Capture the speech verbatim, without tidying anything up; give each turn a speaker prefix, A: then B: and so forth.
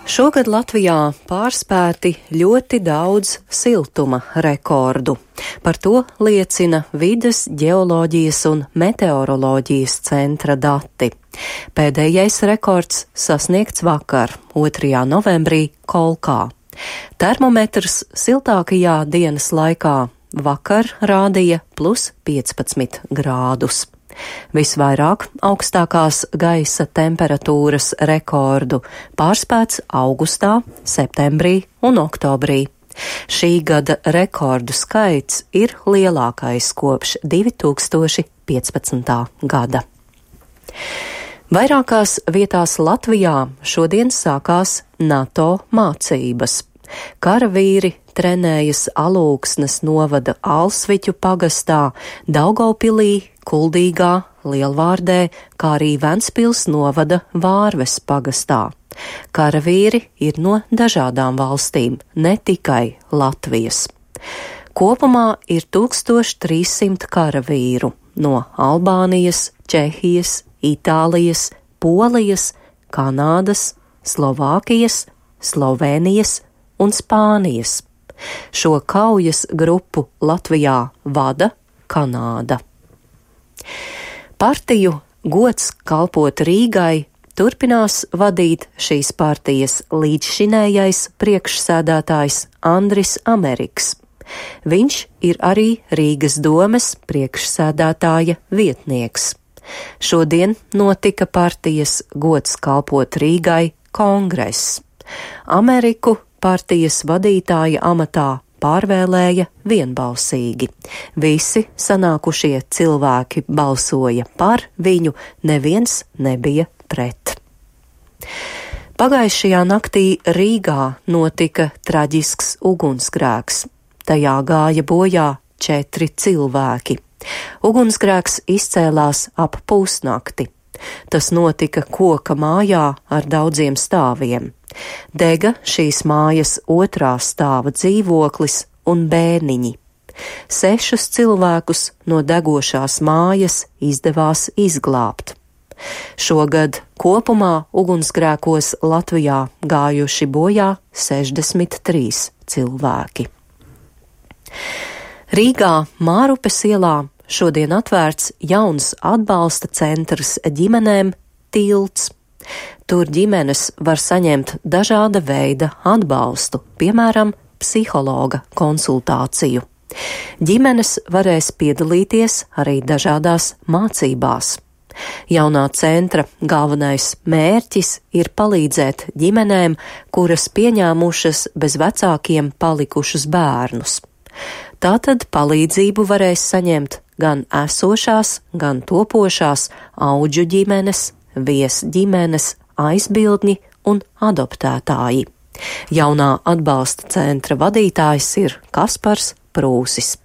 A: Šogad Latvijā pārspēti ļoti daudz siltuma rekordu. Par to liecina Vides ģeoloģijas un meteoroloģijas centra dati. Pēdējais rekords sasniegts vakar, otrajā novembrī, Kolkā. Termometrs siltākajā dienas laikā vakar rādīja plus piecpadsmit grādus. Visvairāk augstākās gaisa temperatūras rekordu pārspēts augustā, septembrī un oktobrī. Šī gada rekordu skaits ir lielākais kopš divi tūkstoši piecpadsmitā gada. Vairākās vietās Latvijā šodien sākās NATO mācības. Karavīri trenējas Alūksnes novada Alsviķu pagastā, Daugavpilī, Kuldīgā, Lielvārdē, kā arī Ventspils novada Vārves pagastā. Karavīri ir no dažādām valstīm, ne tikai Latvijas. Kopumā ir tūkstoš trīs simt karavīru no Albānijas, Čehijas, Itālijas, Polijas, Kanādas, Slovākijas, Slovēnijas un Spānijas. Šo kaujas grupu Latvijā vada Kanāda. Partiju Gods kalpot Rīgai turpinās vadīt šīs partijas līdzšinējais priekšsēdētājs Andris Ameriks. Viņš ir arī Rīgas domes priekšsēdētāja vietnieks. Šodien notika partijas Gods kalpot Rīgai kongress. Ameriku partijas vadītāja amatā pārvēlēja vienbalsīgi. Visi sanākušie cilvēki balsoja par viņu, neviens nebija pret. Pagājušajā naktī Rīgā notika traģisks ugunsgrēks. Tajā gāja bojā četri cilvēki. Ugunsgrēks izcēlās ap pusnakti. Tas notika koka mājā ar daudziem stāviem. Dega šīs mājas otrā stāva dzīvoklis un bērniņi. Sešus cilvēkus no degošās mājas izdevās izglābt. Šogad kopumā ugunsgrēkos Latvijā gājuši bojā sešdesmit trīs cilvēki. Rīgā Mārupes ielā šodien atvērts jauns atbalsta centrs ģimenēm Tilts. Tur ģimenes var saņemt dažāda veida atbalstu, piemēram, psihologa konsultāciju. Ģimenes varēs piedalīties arī dažādās mācībās. Jaunā centra galvenais mērķis ir palīdzēt ģimenēm, kuras pieņēmušas bez vecākiem palikušus bērnus. Tātad palīdzību varēs saņemt gan esošās, gan topošās audžu ģimenes, viesģimenes, aizbildņi un adoptētāji. Jaunā atbalsta centra vadītājs ir Kaspars Prūsis.